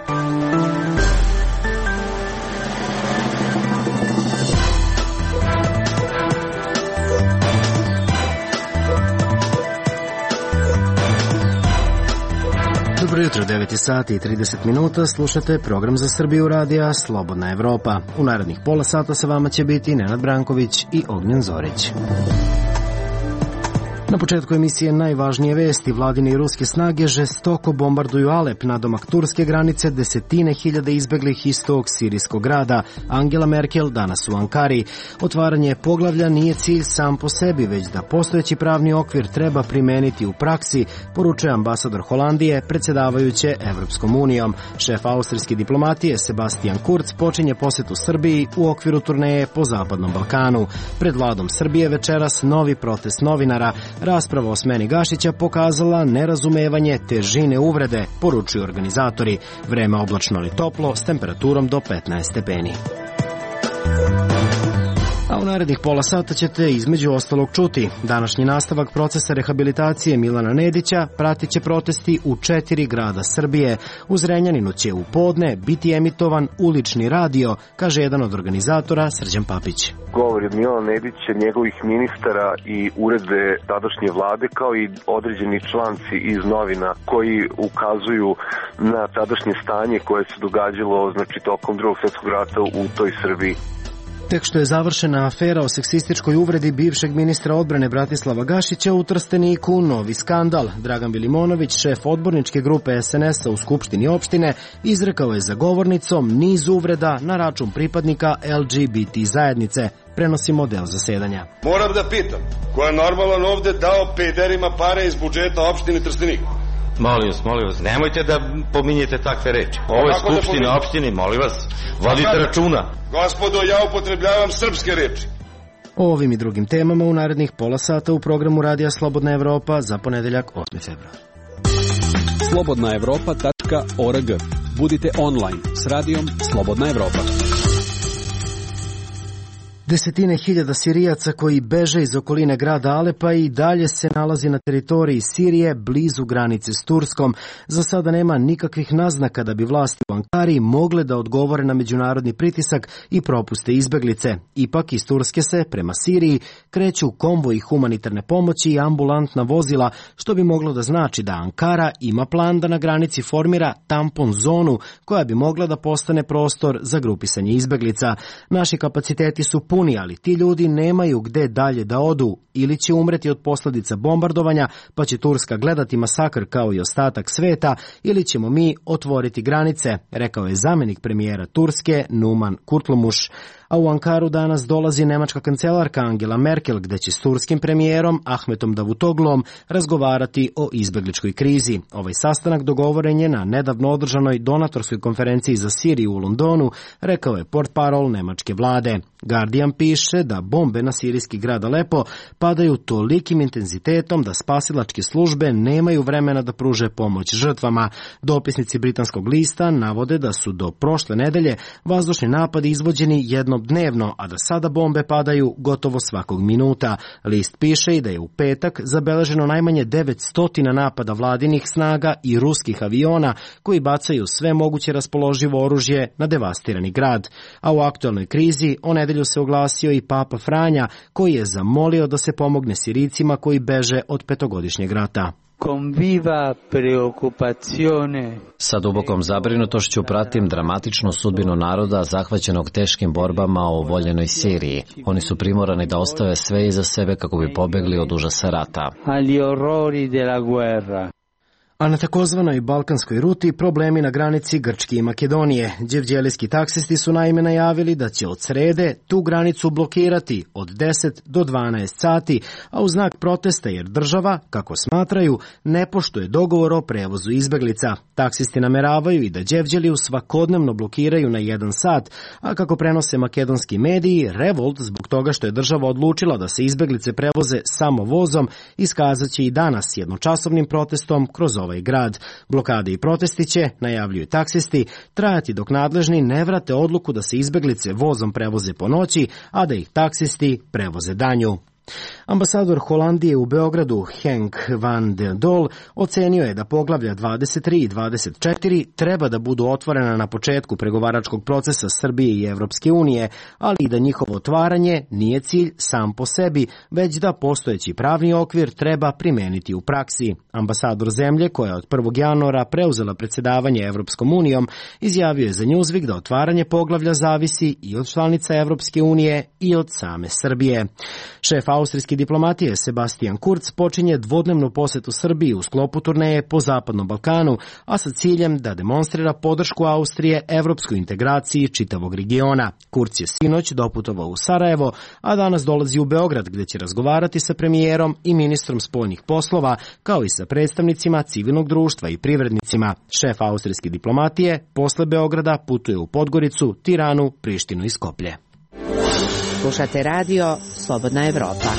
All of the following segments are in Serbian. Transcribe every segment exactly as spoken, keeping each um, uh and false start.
Dobro jutro, devet sati i trideset minuta, slušate program za Srbiju radija Slobodna Evropa. U narednih pola sata sa vama će biti Nenad Branković i Ognjen Zorić. Na početku emisije najvažnije vesti. Vladine i ruske snage žestoko bombarduju Alep, nadomak turske granice, desetine hiljada izbeglih iz tog sirijskog grada. Angela Merkel danas u Ankari. Otvaranje poglavlja nije cilj sam po sebi, već da postojeći pravni okvir treba primeniti u praksi, poručuje ambasador Holandije, predsjedavajuće Evropskom unijom. Šef austrijske diplomatije Sebastian Kurz počinje posetu Srbiji u okviru turneje po Zapadnom Balkanu. Pred vladom Srbije večeras novi protest novinara. Rasprava o smeni Gašića pokazala nerazumevanje težine uvrede, poručuju organizatori. Vreme oblačno ali toplo, s temperaturom do petnaest stepeni. A u narednih pola sata ćete između ostalog čuti. Današnji nastavak procesa rehabilitacije Milana Nedića pratit će protesti u četiri grada Srbije. U Zrenjaninu će u podne biti emitovan ulični radio, kaže jedan od organizatora Srđan Papić. Govori od Milana Nedića, njegovih ministara i uredbe tadašnje vlade, kao i određeni članci iz novina koji ukazuju na tadašnje stanje koje se događalo, znači, tokom Drugog svjetskog rata u toj Srbiji. Tek što je završena afera o seksističkoj uvredi bivšeg ministra odbrane Bratislava Gašića, u Trsteniku novi skandal. Dragan Vilimonović, šef odborničke grupe es en es a u Skupštini opštine, izrekao je za govornicom niz uvreda na račun pripadnika el dže be te zajednice. Prenosimo deo zasedanja. Moram da pitam, ko je normalan ovde dao pederima pare iz budžeta opštine Trstenik? Molim vas, molim vas, nemojte da pominjete takve reči. Ovo je skupština da opštine, molim vas, vodite računa. Gospodo, ja upotrebljavam srpske reči. O ovim i drugim temama u narednih pola sata u programu Radija Slobodna Evropa za ponedeljak osmi februar. slobodna evropa tačka org. Budite online s radijom Slobodna Evropa. Desetine hiljada Sirijaca koji beže iz okoline grada Alepa i dalje se nalazi na teritoriji Sirije blizu granice s Turskom. Za sada nema nikakvih naznaka da bi vlasti u Ankari mogle da odgovore na međunarodni pritisak i propuste izbeglice. Ipak iz Turske se prema Siriji kreću konvoji humanitarne pomoći i ambulantna vozila, što bi moglo da znači da Ankara ima plan da na granici formira tampon zonu koja bi mogla da postane prostor za grupisanje izbeglica. Naši kapaciteti su puni, ali ti ljudi nemaju gde dalje da odu, ili će umreti od posljedica bombardovanja, pa će Turska gledati masakr kao i ostatak sveta, ili ćemo mi otvoriti granice, rekao je zamjenik premijera Turske Numan Kurtulmuş. A u Ankaru danas dolazi nemačka kancelarka Angela Merkel, gde će s turskim premijerom Ahmetom Davutoglom razgovarati o izbegličkoj krizi. Ovaj sastanak dogovoren je na nedavno održanoj donatorskoj konferenciji za Siriju u Londonu, rekao je portparol nemačke vlade. Guardian piše da bombe na sirijski grad Alepo padaju tolikim intenzitetom da spasilačke službe nemaju vremena da pruže pomoć žrtvama. Dopisnici britanskog lista navode da su do prošle nedelje vazdušni napadi izvođeni jednom dnevno, a da sada bombe padaju gotovo svakog minuta. List piše i da je u petak zabeleženo najmanje devetsto napada vladinih snaga i ruskih aviona koji bacaju sve moguće raspoloživo oružje na devastirani grad. A u aktualnoj krizi o nedelju se oglasio i Papa Franja, koji je zamolio da se pomogne Sirijcima koji beže od petogodišnjeg rata. Sa dubokom zabrinutošću pratim dramatičnu sudbinu naroda zahvaćenog teškim borbama u voljenoj Siriji. Oni su primorani da ostave sve iza sebe kako bi pobegli od užasa rata. A na takozvanoj balkanskoj ruti problemi na granici Grčke i Makedonije. Đevđelijski taksisti su naime najavili da će od srede tu granicu blokirati od deset do dvanaest sati, a u znak protesta jer država, kako smatraju, ne poštuje dogovor o prevozu izbeglica. Taksisti nameravaju i da Đevđeliju svakodnevno blokiraju na jedan sat, a kako prenose makedonski mediji, revolt zbog toga što je država odlučila da se izbeglice prevoze samo vozom iskazat će i danas jednočasovnim protestom kroz ovaj grad. Blokade i protesti će, najavljuju taksisti, trajati dok nadležni ne vrate odluku da se izbeglice vozom prevoze po noći, a da ih taksisti prevoze danju. Ambasador Holandije u Beogradu Henk van den Dol ocenio je da poglavlja dvadeset tri i dvadeset četiri treba da budu otvorena na početku pregovaračkog procesa Srbije i Evropske unije, ali i da njihovo otvaranje nije cilj sam po sebi, već da postojeći pravni okvir treba primeniti u praksi. Ambasador zemlje, koja je od prvog januara preuzela predsedavanje Evropskom unijom, izjavio je za Newsweek da otvaranje poglavlja zavisi i od članica Evropske unije i od same Srbije. Šef austrijske diplomatije Sebastian Kurz počinje dvodnevnu posetu Srbiji u sklopu turneje po Zapadnom Balkanu, a sa ciljem da demonstrira podršku Austrije evropskoj integraciji čitavog regiona. Kurz je sinoć doputovao u Sarajevo, a danas dolazi u Beograd gde će razgovarati sa premijerom i ministrom spoljnih poslova, kao i sa predstavnicima civilnog društva i privrednicima. Šef austrijske diplomatije posle Beograda putuje u Podgoricu, Tiranu, Prištinu i Skoplje. Slušate radio Slobodna Evropa.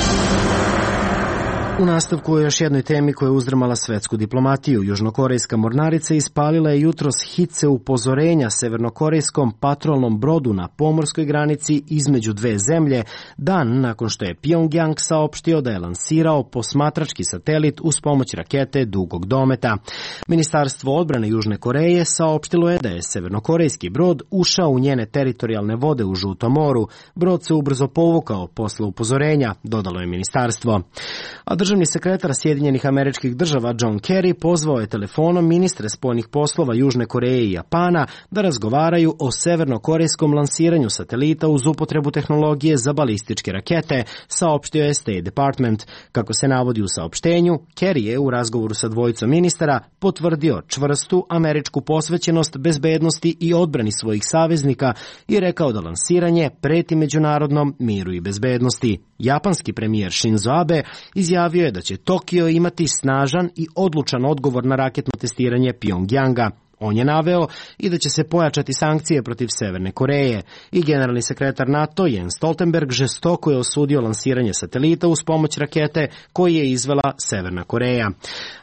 U nastavku o još jednoj temi koja je uzdrmala svetsku diplomatiju. Južnokorejska mornarica ispalila je jutros hice upozorenja severnokorejskom patrolnom brodu na pomorskoj granici između dve zemlje, dan nakon što je Pjongjang saopštio da je lansirao posmatrački satelit uz pomoć rakete dugog dometa. Ministarstvo odbrane Južne Koreje saopštilo je da je severnokorejski brod ušao u njene teritorijalne vode u Žutom moru. Brod se ubrzo povukao posle upozorenja, dodalo je ministarstvo. A državni sekretar Sjedinjenih Američkih Država John Kerry pozvao je telefonom ministre spoljnih poslova Južne Koreje i Japana da razgovaraju o severnokorejskom lansiranju satelita uz upotrebu tehnologije za balističke rakete, saopštio je State Department. Kako se navodi u saopštenju, Kerry je u razgovoru sa dvojicom ministara potvrdio čvrstu američku posvećenost bezbednosti i odbrani svojih saveznika i rekao da lansiranje preti međunarodnom miru i bezbednosti. Japanski premijer Shinzo Abe izjavio je da će Tokio imati snažan i odlučan odgovor na raketno testiranje Pjongjanga. On je naveo i da će se pojačati sankcije protiv Severne Koreje. I generalni sekretar NATO Jens Stoltenberg žestoko je osudio lansiranje satelita uz pomoć rakete koji je izvela Severna Koreja.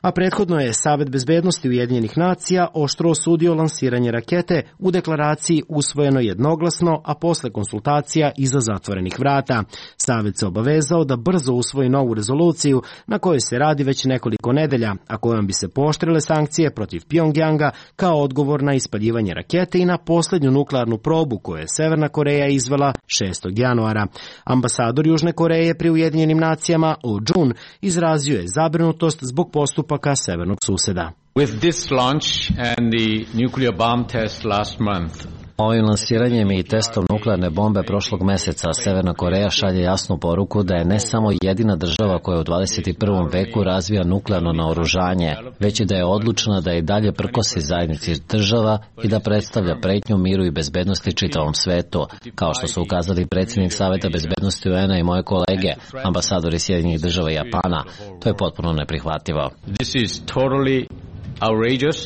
A prethodno je Savet bezbednosti Ujedinjenih nacija oštro osudio lansiranje rakete u deklaraciji usvojeno jednoglasno, a posle konsultacija iza zatvorenih vrata. Savet se obavezao da brzo usvoji novu rezoluciju na kojoj se radi već nekoliko nedelja, a kojom bi se pooštrile sankcije protiv Pjongjanga kao odgovor na ispaljivanje rakete i na posljednju nuklearnu probu koju je Severna Koreja izvela šestog januara. Ambasador Južne Koreje pri Ujedinjenim nacijama Oh Jun izrazio je zabrinutost zbog postupaka severnog suseda. With this launch and the nuclear bomb test last month, ovim lansiranjem i testom nuklearne bombe prošlog meseca Severna Koreja šalje jasnu poruku da je ne samo jedina država koja u dvadeset prvom veku razvija nuklearno naoružanje, već i da je odlučna da i dalje prkosi zajednici država i da predstavlja pretnju miru i bezbednosti čitavom svetu, kao što su ukazali predsjednik Saveta bezbednosti U N A i moje kolege, ambasadori Sjedinjenih država i Japana. To je potpuno neprihvatljivo. This is totally outrageous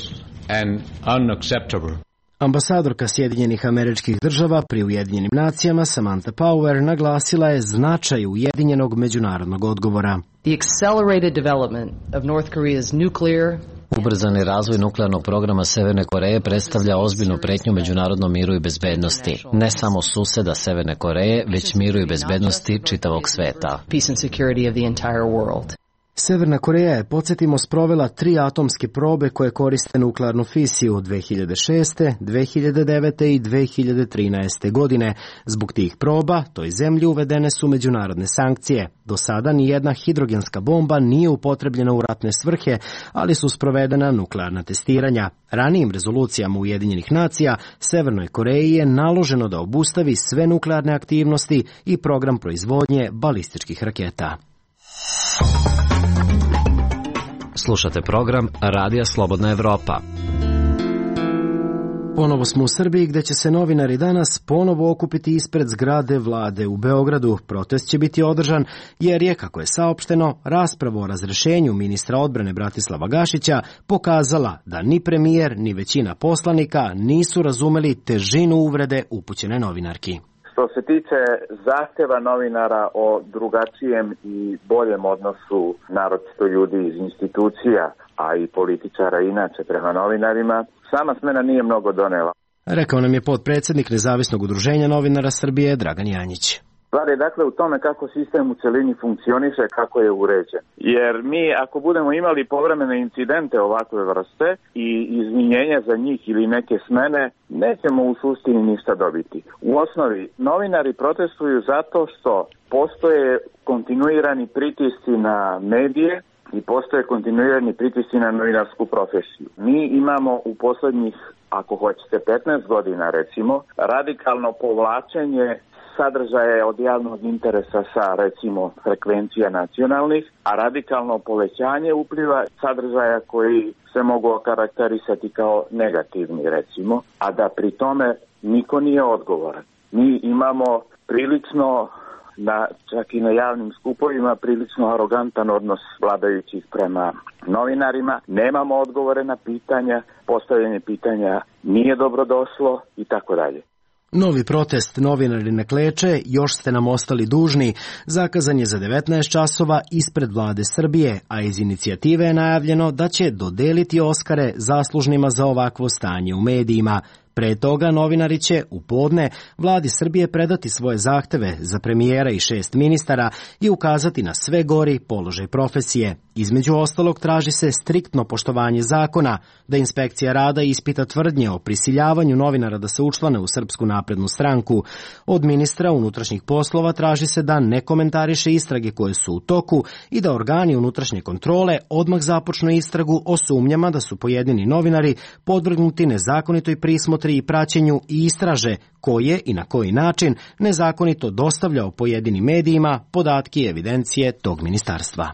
and unacceptable. Ambasadorka Sjedinjenih Američkih Država pri Ujedinjenim nacijama Samantha Power naglasila je značaj ujedinjenog međunarodnog odgovora. The accelerated development of North Korea's nuclear Ubrzani razvoj nuklearnog programa Severne Koreje predstavlja ozbiljnu pretnju međunarodnom miru i bezbednosti, ne samo suseda Severne Koreje, već miru i bezbednosti čitavog sveta. Peace and security of the entire world. Severna Koreja je, podsjetimo, sprovela tri atomske probe koje koriste nuklearnu fisiju dve hiljade šeste, dve hiljade devete i dve hiljade trinaeste. godine. Zbog tih proba toj zemlji uvedene su međunarodne sankcije. Do sada ni jedna hidrogenska bomba nije upotrebljena u ratne svrhe, ali su sprovedena nuklearna testiranja. Ranijim rezolucijama Ujedinjenih nacija Severnoj Koreji je naloženo da obustavi sve nuklearne aktivnosti i program proizvodnje balističkih raketa. Slušate program Radija Slobodna Evropa. Ponovo smo u Srbiji gde će se novinari danas ponovo okupiti ispred zgrade vlade u Beogradu. Protest će biti održan jer je, kako je saopšteno, rasprava o razrešenju ministra odbrane Bratislava Gašića pokazala da ni premijer ni većina poslanika nisu razumeli težinu uvrede upućene novinarki. Što se tiče zahteva novinara o drugačijem i boljem odnosu naročito ljudi iz institucija, a i političara inače prema novinarima, sama smena nije mnogo donela. Rekao nam je potpredsjednik Nezavisnog udruženja novinara Srbije Dragan Janjić. Stvar je dakle u tome kako sistem u celini funkcioniše, kako je uređen. Jer mi ako budemo imali povremene incidente ovakve vrste i izvinjenja za njih ili neke smene, nećemo u suštini ništa dobiti. U osnovi, novinari protestuju zato što postoje kontinuirani pritisci na medije i postoje kontinuirani pritisci na novinarsku profesiju. Mi imamo u poslednjih, ako hoćete, petnaest godina recimo, radikalno povlačenje sadržaje od javnog interesa sa, recimo, frekvencija nacionalnih, a radikalno povećanje upliva sadržaja koji se mogu okarakterisati kao negativni, recimo, a da pri tome niko nije odgovoran. Mi imamo prilično, na, čak i na javnim skupovima, prilično arogantan odnos vladajućih prema novinarima. Nemamo odgovore na pitanja, postavljanje pitanja nije dobrodošlo i tako dalje. Novi protest Novinari ne kleče, još ste nam ostali dužni, zakazan je za devetnaest časova ispred vlade Srbije, a iz inicijative je najavljeno da će dodeliti Oskare zaslužnima za ovakvo stanje u medijima. Pre toga novinari će u podne vladi Srbije predati svoje zahteve za premijera i šest ministara i ukazati na sve gori položaj profesije. Između ostalog traži se striktno poštovanje zakona, da inspekcija rada ispita tvrdnje o prisiljavanju novinara da se učlane u Srpsku naprednu stranku. Od ministra unutrašnjih poslova traži se da ne komentariše istrage koje su u toku i da organi unutrašnje kontrole odmah započnu istragu o sumnjama da su pojedini novinari podvrgnuti nezakonitoj prismotri i praćenju i istraže ko je i na koji način nezakonito dostavljao pojedinim medijima podatke i evidencije tog ministarstva.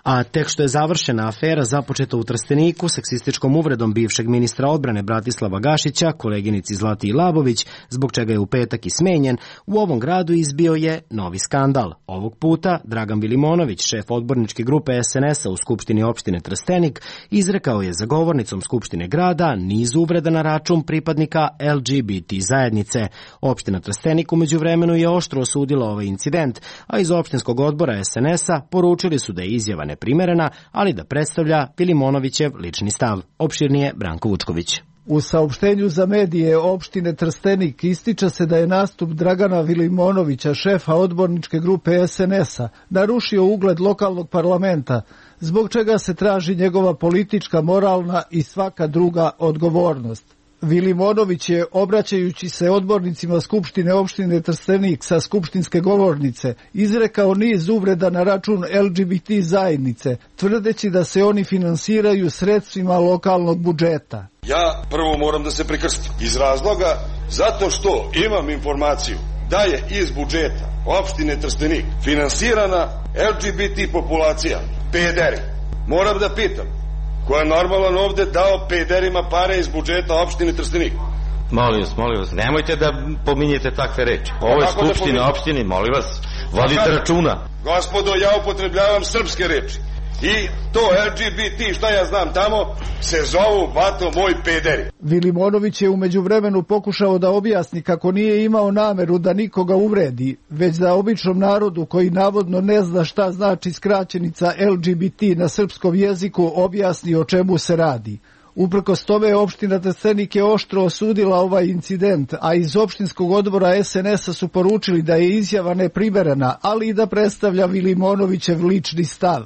A tek što je završena afera započeta u Trsteniku seksističkom uvredom bivšeg ministra odbrane Bratislava Gašića, koleginici Zlati Labović, zbog čega je u petak i smenjen, u ovom gradu izbio je novi skandal. Ovog puta Dragan Vilimonović, šef odborničke grupe es en es a u Skupštini opštine Trstenik, izrekao je za govornicom Skupštine grada niz uvreda na račun pripadnika el ge be te zajednice. Opština Trstenik umeđu vremenu je oštro osudila ovaj incident, a iz opštinskog odbora es en es a poručili su da je izjava neprimerena, ali da predstavlja Vilimonovićev lični stav. Opširnije Branko Vučković. U saopštenju za medije opštine Trstenik ističe se da je nastup Dragana Vilimonovića, šefa odborničke grupe es en es a, narušio ugled lokalnog parlamenta, zbog čega se traži njegova politička, moralna i svaka druga odgovornost. Vilimonović je, obraćajući se odbornicima Skupštine opštine Trstenik sa skupštinske govornice, izrekao niz uvreda na račun el ge be te zajednice, tvrdeći da se oni finansiraju sredstvima lokalnog budžeta. Ja prvo moram da se prekrstim iz razloga zato što imam informaciju da je iz budžeta opštine Trstenik finansirana el ge be te populacija, pederi. Moram da pitam, ko je normalan ovde dao pederima pare iz budžeta opštine Trstenik? Molim vas, molim vas, nemojte da pominjete takve reči. Ovo je skupština da opštine, molim vas, vodite računa. Gospodo, ja upotrebljavam srpske reči. I to el ge be te, šta ja znam tamo, se zovu, bato, moj pederi. Vilimonović je umeđu vremenu pokušao da objasni kako nije imao nameru da nikoga uvredi, već da običnom narodu koji navodno ne zna šta znači skraćenica el ge be te na srpskom jeziku objasni o čemu se radi. Uprkos tome, opština Trstenik je oštro osudila ovaj incident, a iz opštinskog odbora es en es a su poručili da je izjava neprimerena, ali i da predstavlja Vilimonovićev lični stav.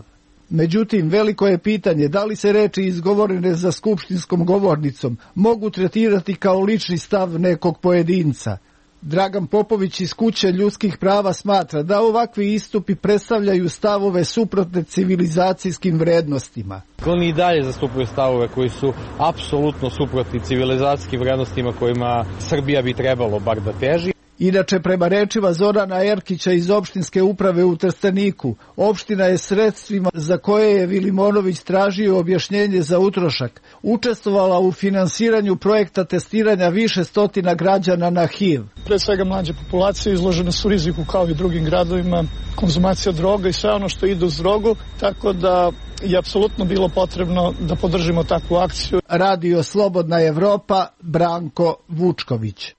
Međutim, veliko je pitanje da li se reči izgovorene za skupštinskom govornicom mogu tretirati kao lični stav nekog pojedinca. Dragan Popović iz Kuće ljudskih prava smatra da ovakvi istupi predstavljaju stavove suprotne civilizacijskim vrednostima. Oni i dalje zastupaju stavove koji su apsolutno suprotni civilizacijskim vrednostima kojima Srbija bi trebalo bar da teži. Inače, prema rečima Zorana Erkića iz opštinske uprave u Trsteniku, opština je sredstvima za koje je Vilimonović tražio objašnjenje za utrošak učestvovala u finansiranju projekta testiranja više stotina građana na ha i ve. Pre svega mlađe populacije izložene su riziku kao i drugim gradovima, konzumacija droga i sve ono što ide uz drogu, tako da je apsolutno bilo potrebno da podržimo takvu akciju. Radio Slobodna Evropa, Branko Vučković.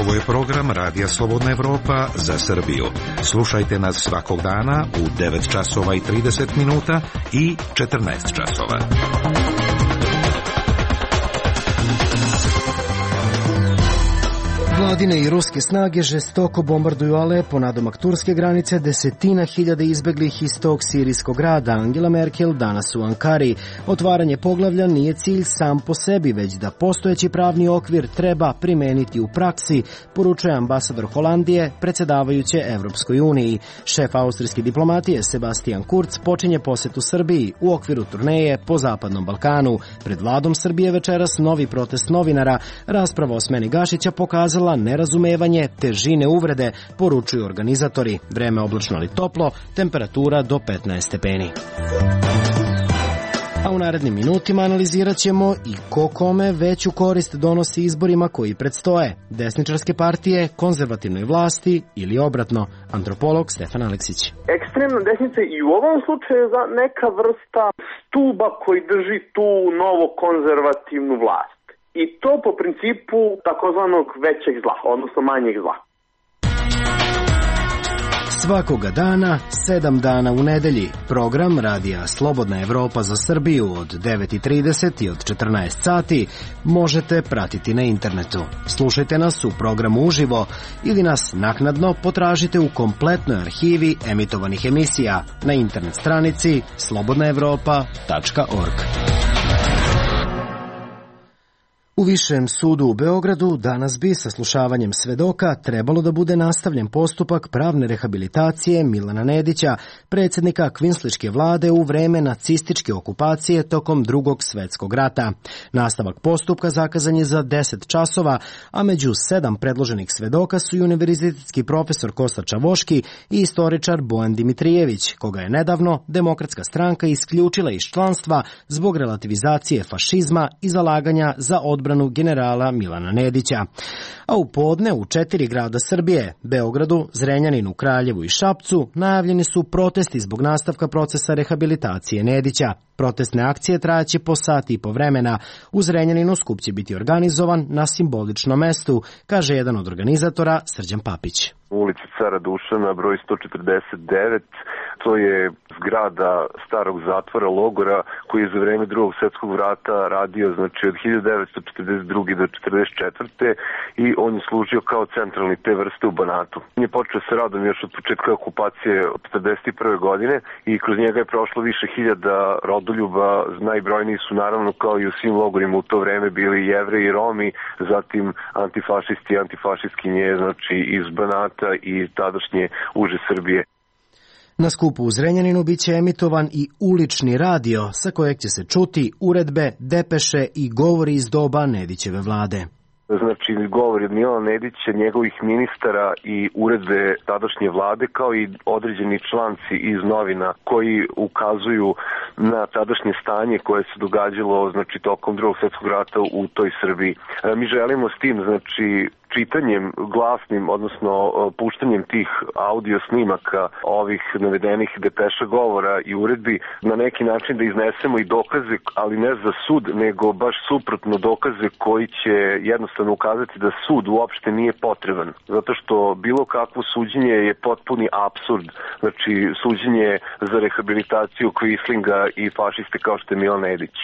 Ovo je program Radija Slobodna Evropa za Srbiju. Slušajte nas svakog dana u devet časova i trideset minuta i četrnaest časova. Vladine i ruske snage žestoko bombarduju Alepo, nadomak turske granice, desetina hiljada izbeglih iz tog sirijskog grada. Angela Merkel danas u Ankari. Otvaranje poglavlja nije cilj sam po sebi, već da postojeći pravni okvir treba primeniti u praksi, poručuje ambasador Holandije, predsjedavajuće Evropskoj uniji. Šef austrijske diplomatije Sebastian Kurz počinje posetu Srbiji u okviru turneje po Zapadnom Balkanu. Pred vladom Srbije večeras novi protest novinara. Rasprava o smeni Gašića pokazala nerazumevanje težine uvrede, poručuju organizatori. Vreme oblačno ali toplo, temperatura do petnaest stepeni. A u narednim minutima analizirat ćemo i ko kome veću korist donosi izborima koji predstoje. Desničarske partije, konzervativnoj vlasti ili obratno. Antropolog Stefan Aleksić. Ekstremna desnica i u ovom slučaju je neka vrsta stuba koji drži tu novo konzervativnu vlast. I to po principu takozvanog većeg zla, odnosno manjeg zla. Svakoga dana, sedam dana u nedelji. Program radija Slobodna Evropa za Srbiju od devet i trideset i od četrnaest sati možete pratiti na internetu. Slušajte nas u programu uživo ili nas naknadno potražite u kompletnoj arhivi emitovanih emisija na internet stranici slobodna evropa tačka org. U Višem sudu u Beogradu danas bi saslušavanjem svedoka trebalo da bude nastavljen postupak pravne rehabilitacije Milana Nedića, predsjednika kvinsliške vlade u vreme nacističke okupacije tokom Drugog svjetskog rata. Nastavak postupka zakazan je za deset časova, a među sedam predloženih svedoka su i univerzitetski profesor Kosta Čavoški i istoričar Bojan Dimitrijević, koga je nedavno Demokratska stranka isključila iz članstva zbog relativizacije fašizma i zalaganja za odbranu generala Milana Nedića. A u podne u četiri grada Srbije, Beogradu, Zrenjaninu, Kraljevu i Šapcu, najavljeni su protesti zbog nastavka procesa rehabilitacije Nedića. Protestne akcije trajaće po sati i po vremena. U Zrenjaninu skup će biti organizovan na simboličnom mestu, kaže jedan od organizatora Srđan Papić. U ulici Cara Dušana, broj sto četrdeset devet, to je zgrada starog zatvora logora koji je za vreme Drugog svjetskog rata radio, znači od hiljadu devetsto četrdeset druge do četrdeset četvrte i on je služio kao centralni te vrste u Banatu. On je počeo sa radom još od početka okupacije od četrdeset prve godine i kroz njega je prošlo više hiljada rodoljuba. Najbrojniji su naravno kao i u svim logorima u to vreme bili Jevreji i Romi, zatim antifašisti i antifašistkinje, znači iz Banata i tadašnje uže Srbije. Na skupu u Zrenjaninu bit će emitovan i ulični radio, sa kojeg će se čuti uredbe, depeše i govori iz doba Nedićeve vlade. Znači, govori od Milana Nedića, njegovih ministara i uredbe tadašnje vlade, kao i određeni članci iz novina koji ukazuju na tadašnje stanje koje se događalo, znači, tokom Drugog svjetskog rata u toj Srbiji. Mi želimo s tim, znači, čitanjem glasnim, odnosno puštanjem tih audio snimaka ovih navedenih depeša, govora i uredbi na neki način da iznesemo i dokaze, ali ne za sud, nego baš suprotno dokaze koji će jednostavno ukazati da sud uopšte nije potreban. Zato što bilo kakvo suđenje je potpuni apsurd. Znači, suđenje za rehabilitaciju Quislinga i fašiste kao što je Milan Nedić.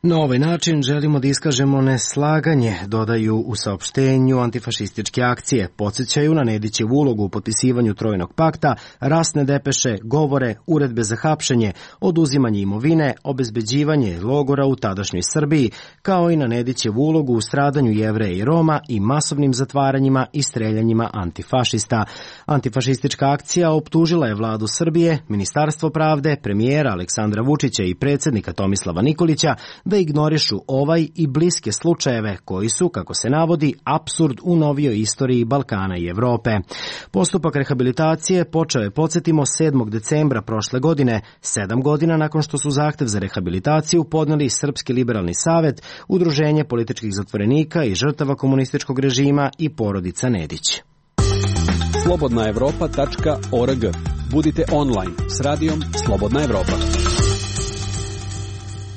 Na ovaj način želimo da iskažemo neslaganje, dodaju u saopštenju antifašističke akcije. Podsjećaju na Nedićevu ulogu u potpisivanju Trojnog pakta, rasne depeše, govore, uredbe za hapšenje, oduzimanje imovine, obezbeđivanje logora u tadašnjoj Srbiji, kao i na Nedićevu ulogu u stradanju Jevreja i Roma i masovnim zatvaranjima i streljanjima antifašista. Antifašistička akcija optužila je vladu Srbije, Ministarstvo pravde, premijera Aleksandra Vučića i predsjednika Tomislava Nikolića da ignorišu ovaj i bliske slučajeve koji su, kako se navodi, apsurd u novijoj istoriji Balkana i Evrope. Postupak rehabilitacije počeo je, podsjetimo, sedmog decembra prošle godine, sedam godina nakon što su zahtev za rehabilitaciju podneli Srpski liberalni savet, Udruženje političkih zatvorenika i žrtava komunističkog režima i porodica Nedić. slobodna evropa tačka org. Budite online s radijom Slobodna Evropa.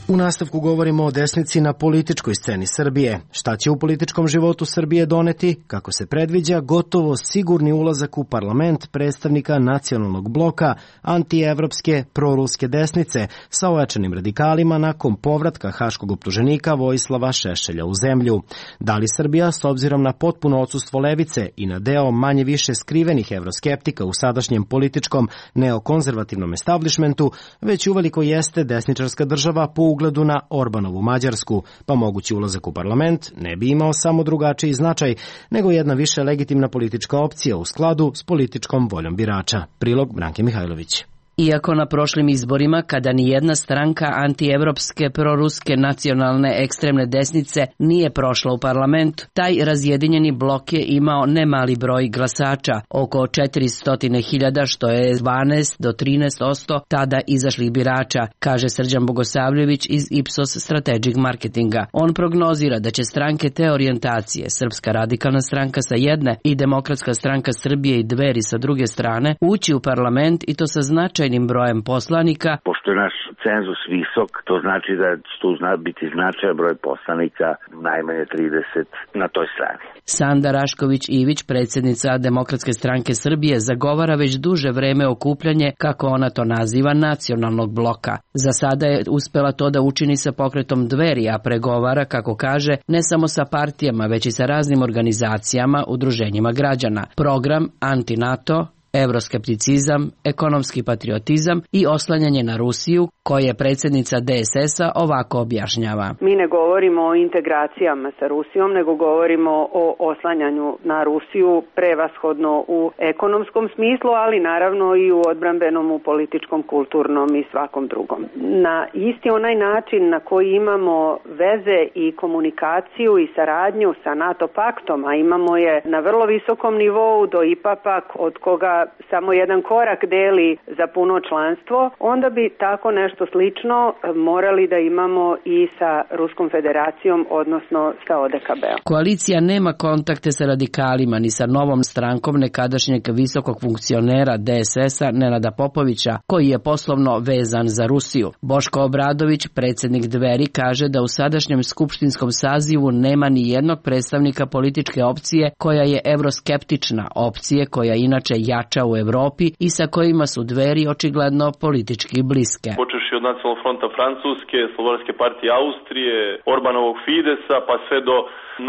U nastavku govorimo o desnici na političkoj sceni Srbije. Šta će u političkom životu Srbije doneti, kako se predviđa, gotovo sigurni ulazak u parlament predstavnika nacionalnog bloka antievropske proruske desnice sa ojačanim radikalima nakon povratka haškog optuženika Vojislava Šešelja u zemlju. Da li Srbija, s obzirom na potpuno odsustvo levice i na deo manje više skrivenih evroskeptika u sadašnjem političkom neokonzervativnom establishmentu, već uveliko jeste desničarska država po ugledu na Orbanovu Mađarsku, pa mogući ulazak u parlament ne bi imao samo drugačiji značaj, nego jedna više legitimna politička opcija u skladu s političkom voljom birača. Prilog Branke Mihajlović. Iako na prošlim izborima, kada ni jedna stranka antievropske, proruske, nacionalne, ekstremne desnice nije prošla u parlament, taj razjedinjeni blok je imao nemali broj glasača, oko četiristo hiljada, što je dvanaest do trinaest posto tada izašlih birača, kaže Srđan Bogosavljević iz Ipsos Strategic Marketinga. On prognozira da će stranke te orijentacije, Srpska radikalna stranka sa jedne i Demokratska stranka Srbije i Dveri sa druge strane, ući u parlament i to sa značajnim brojem poslanika. Pošto je naš cenzus visok, to znači da će tu biti značajan broj poslanika, najmanje trideset na toj strani. Sanda Rašković-Ivić, predsjednica Demokratske stranke Srbije, zagovara već duže vreme okupljanje, kako ona to naziva, nacionalnog bloka. Za sada je uspela to da učini sa pokretom Dveri, a pregovara, kako kaže, ne samo sa partijama, već i sa raznim organizacijama, udruženjima građana. Program Anti-NATO, evroskepticizam, ekonomski patriotizam i oslanjanje na Rusiju, koje predsjednica D S S-a ovako objašnjava. Mi ne govorimo o integracijama sa Rusijom, nego govorimo o oslanjanju na Rusiju prevashodno u ekonomskom smislu, ali naravno i u odbrambenom, u političkom, kulturnom i svakom drugom. Na isti onaj način na koji imamo veze i komunikaciju i saradnju sa NATO paktom, a imamo je na vrlo visokom nivou do I P A pak, od koga samo jedan korak deli za puno članstvo, onda bi tako nešto slično morali da imamo i sa Ruskom federacijom, odnosno sa O D K B-om. Koalicija nema kontakte sa radikalima ni sa novom strankom nekadašnjeg visokog funkcionera D S S-a Nenada Popovića, koji je poslovno vezan za Rusiju. Boško Obradović, predsjednik Dveri, kaže da u sadašnjem skupštinskom sazivu nema ni jednog predstavnika političke opcije koja je evroskeptična, opcije koja inače jača u Evropi i sa kojima su Dveri očigledno politički bliske. Počeši od Nacionalnog fronta Francuske, Slobodarske partije Austrije, Orbanovog Fidesa, pa sve do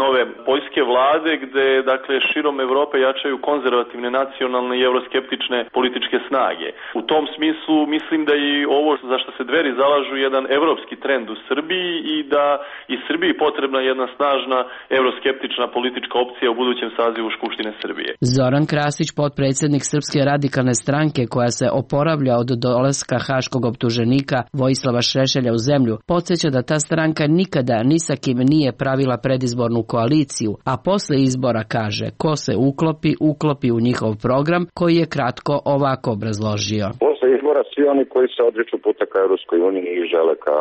nove poljske vlade, gde dakle širom Evrope jačaju konzervativne, nacionalne i evroskeptične političke snage. U tom smislu mislim da i ovo za što se Dveri zalažu jedan evropski trend u Srbiji i da i Srbiji potrebna jedna snažna evroskeptična politička opcija u budućem sazivu Skupštine Srbije. Zoran Krasić, potpredsjednik Srpske radikalne stranke koja se oporavlja od dolaska haškog optuženika Vojislava Šešelja u zemlju, podsjeća da ta stranka nikada ni sa kim nije pravila predizbornu koaliciju, a posle izbora kaže ko se uklopi, uklopi u njihov program, koji je kratko ovako obrazložio. Posle izbora svi oni koji se odriču puta ka Evropskoj uniji i žele ka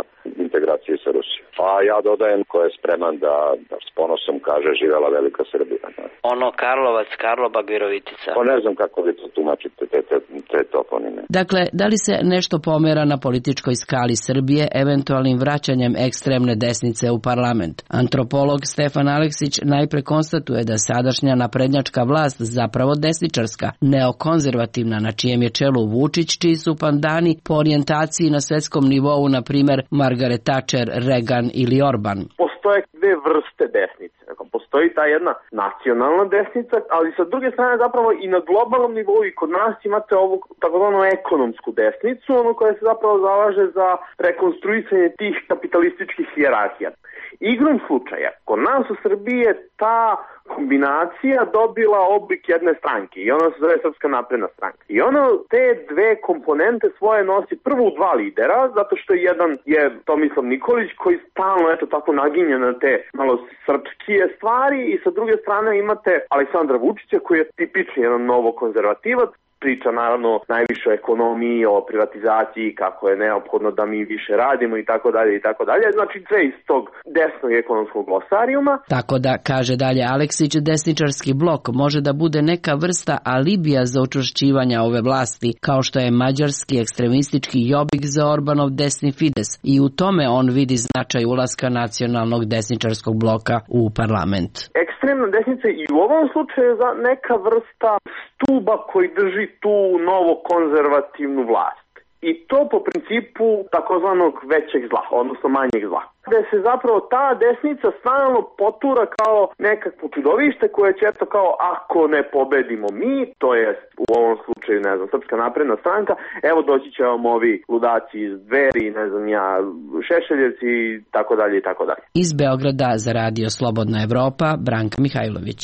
integraciji sa Rusijom. A ja dodajem ko je spreman da, da s ponosom kaže živela velika Srbija. Ono Karlovac, Karlobag, Virovitica. Pa ne znam kako vi to tumačite te, te, te toponime. Dakle, da li se nešto pomera na političkoj skali Srbije eventualnim vraćanjem ekstremne desnice u parlament? Antropolog Stefan Aleksić najpre konstatuje da sadašnja naprednjačka vlast zapravo desničarska, neokonzervativna, na čijem je čelu Vučić, čiji su pandani po orijentaciji na svetskom nivou, na primer Margaret Thatcher, Reagan ili Orban. Postoje dve vrste desnice. Postoji ta jedna nacionalna desnica, ali sa druge strane zapravo i na globalnom nivou i kod nas imate ovu takozvanu ekonomsku desnicu, ono koja se zapravo zalaže za rekonstruisanje tih kapitalističkih hijerarhija. Igrom slučaja, kod nas u Srbiji je ta kombinacija dobila oblik jedne stranke i ona se zove Srpska napredna stranka. I ona te dve komponente svoje nosi prvo u dva lidera, zato što jedan je Tomislav Nikolić koji stalno eto tako naginje na te malo srpskije stvari i sa druge strane imate Aleksandra Vučića koji je tipični jedan novo konzervativac priča naravno najviše o ekonomiji, o privatizaciji, kako je neophodno da mi više radimo i tako dalje i tako dalje. Znači sve iz tog desnog ekonomskog glosarijuma. Tako da, kaže dalje Aleksić, desničarski blok može da bude neka vrsta alibija za učvršćivanje ove vlasti, kao što je mađarski ekstremistički Jobbik za Orbanov desni Fides, i u tome on vidi značaj ulaska nacionalnog desničarskog bloka u parlament. Ekstremna desnica i u ovom slučaju je neka vrsta stuba koji drži tu novo konzervativnu vlast. I to po principu takozvanog većeg zla, odnosno manjeg zla. Gde se zapravo ta desnica stalno potura kao nekakvo čudovište koje će eto kao ako ne pobedimo mi, to je u ovom slučaju, ne znam, Srpska napredna stranka, evo doći će vam ovi ludaci iz Dveri, ne znam ja, Šešeljevci i tako dalje i tako dalje. Iz Beograda za Radio Slobodna Evropa, Branka Mihajlović.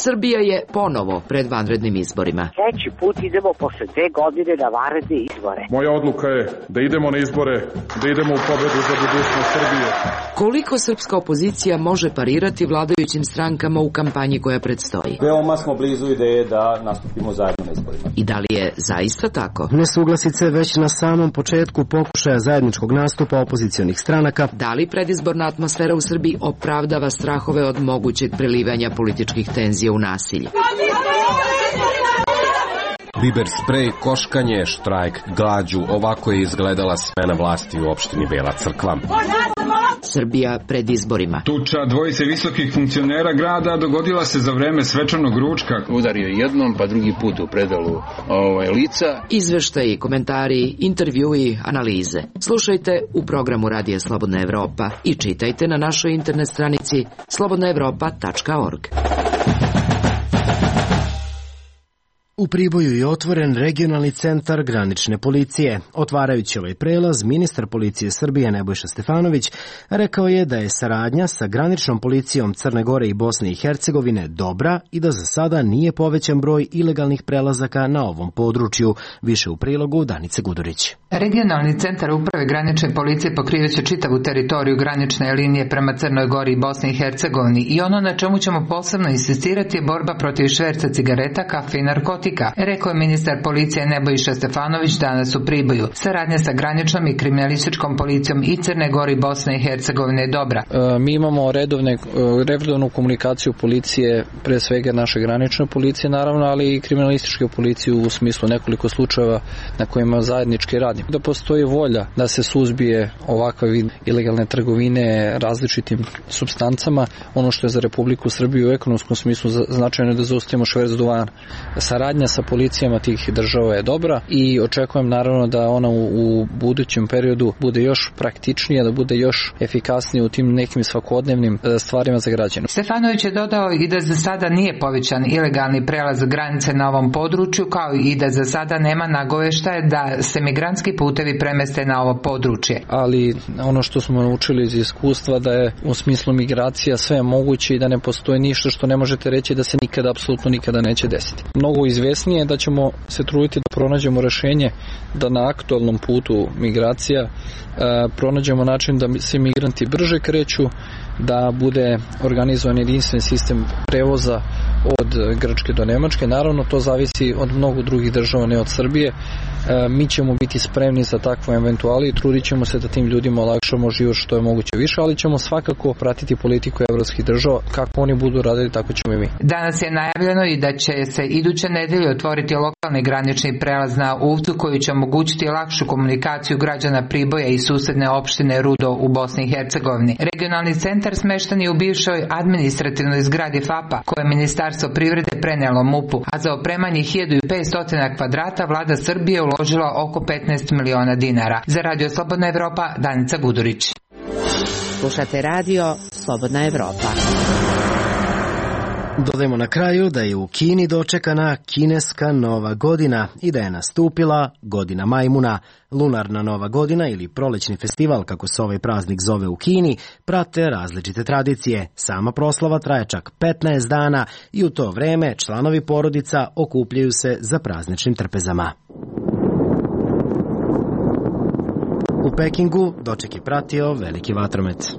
Srbija je ponovo pred vanrednim izborima. Treći put idemo posle dve godine na vanredne izbore. Moja odluka je da idemo na izbore, da idemo u pobedu za budućnost Srbije. Koliko srpska opozicija može parirati vladajućim strankama u kampanji koja predstoji? Veoma smo blizu ideje da nastupimo zajedno na izborima. I da li je zaista tako? Nesuglasice već na samom početku pokušaja zajedničkog nastupa opozicionih stranaka. Da li predizborna atmosfera u Srbiji opravdava strahove od mogućeg prelivanja političkih tenzija u nasilje? Biber sprej, koškanje, štrajk, glađu, ovako je izgledala smena vlasti u opštini Bela Crkva. Srbija pred izborima. Tuča dvojice visokih funkcionera grada dogodila se za vreme svečanog ručka. Udario jednom, pa drugi put u predalu ovaj, lica. Izveštaji, komentari, intervjui, analize. Slušajte u programu Radija Slobodna Evropa i čitajte na našoj internet stranici slobodna evropa tačka org. U Priboju je otvoren regionalni centar granične policije. Otvarajući ovaj prelaz, ministar policije Srbije Nebojša Stefanović rekao je da je saradnja sa graničnom policijom Crne Gore i Bosne i Hercegovine dobra i da za sada nije povećan broj ilegalnih prelazaka na ovom području. Više u prilogu Danice Gudurić. Regionalni centar uprave granične policije pokrivaće čitavu teritoriju granične linije prema Crnoj Gori i Bosni i Hercegovini i ono na čemu ćemo posebno insistirati je borba protiv šverca cigareta, kafe i narkotika, rekao je ministar policije Nebojša Stefanović danas u Priboju. Saradnja sa graničnom i kriminalističkom policijom i Crne Gori i Bosne i Hercegovine je dobra. E, mi imamo redovne, redovnu komunikaciju policije, pre svega naše granične policije naravno, ali i kriminalističke policije u smislu nekoliko slučajeva na kojima zajednički radimo. Da postoji volja da se suzbije ovakva vid ilegalne trgovine različitim supstancama, ono što je za Republiku Srbiju u ekonomskom smislu značajno je da zaustavimo šverc duvana. Saradnja sa policijama tih država je dobra i očekujem naravno da ona u, u budućem periodu bude još praktičnija, da bude još efikasnija u tim nekim svakodnevnim stvarima za građane. Stefanović je dodao i da za sada nije povećan ilegalni prelaz granice na ovom području, kao i da za sada nema nagoveštaja da se migrantski putevi premeste na ovo područje. Ali ono što smo naučili iz iskustva da je u smislu migracija sve moguće i da ne postoji ništa što ne možete reći da se nikada, apsolutno nikada neće desiti. Mnogo izvesnije je da ćemo se truditi da pronađemo rešenje da na aktualnom putu migracija e, pronađemo način da se migranti brže kreću, da bude organizovan jedinstven sistem prevoza od Grčke do Nemačke. Naravno, to zavisi od mnogo drugih država, ne od Srbije. E, mi ćemo biti spremni za takvu eventuali i trudit ćemo se da tim ljudima olakšamo život što je moguće više, ali ćemo svakako pratiti politiku evropskih država. Kako oni budu radili, tako ćemo i mi. Danas je najavljeno i da će se iduće nedelje otvoriti lokalni granični prelaz na Uvcu koji će omogućiti lakšu komunikaciju građana Priboja i susedne opštine Rudo u Bosni i Hercegovini. Regionalni centar smešten je u bivšoj administrativnoj zgradi F A P-a koje je Ministarstvo privrede prenelo M U P-u, a za opremanje hiljadu petsto kvadrata vlada Srbije uložila oko petnaest miliona dinara. Za Radio Slobodna Evropa, Danica Gudurić. Slušate Radio Slobodna Evropa. Dodajemo na kraju da je u Kini dočekana kineska nova godina i da je nastupila godina majmuna. Lunarna nova godina ili prolećni festival, kako se ovaj praznik zove u Kini, prate različite tradicije. Sama proslava traje čak petnaest dana i u to vreme članovi porodica okupljaju se za prazničnim trpezama. U Pekingu doček je pratio veliki vatromet.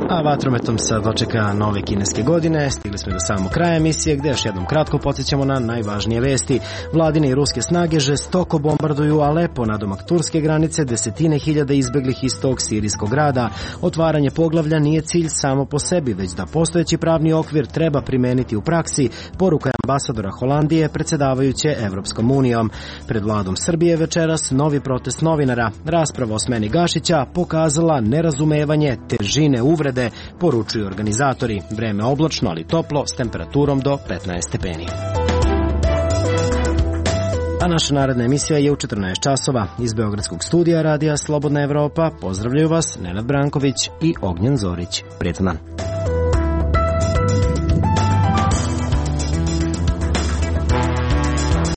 A vatrometom sad dočeka nove kineske godine. Stigli smo do samog kraja emisije gde još jednom kratko podsjećamo na najvažnije vesti. Vladine i ruske snage žestoko bombarduju Alepo, nadomak turske granice, desetine hiljada izbeglih iz tog sirijskog grada. Otvaranje poglavlja nije cilj samo po sebi, već da postojeći pravni okvir treba primeniti u praksi, poruka je ambasadora Holandije predsjedavajuće Evropskom unijom. Pred vladom Srbije večeras novi protest novinara. Rasprava o smeni Gašića pokazala nerazumevanje težine uvrede, poručuju organizatori. Vreme oblačno, ali toplo, s temperaturom do petnaest stepeni. A naša naredna emisija je u četrnaest časova. Iz Beogradskog studija Radija Slobodna Evropa pozdravljaju vas Nenad Branković i Ognjen Zorić. Prijetan dan.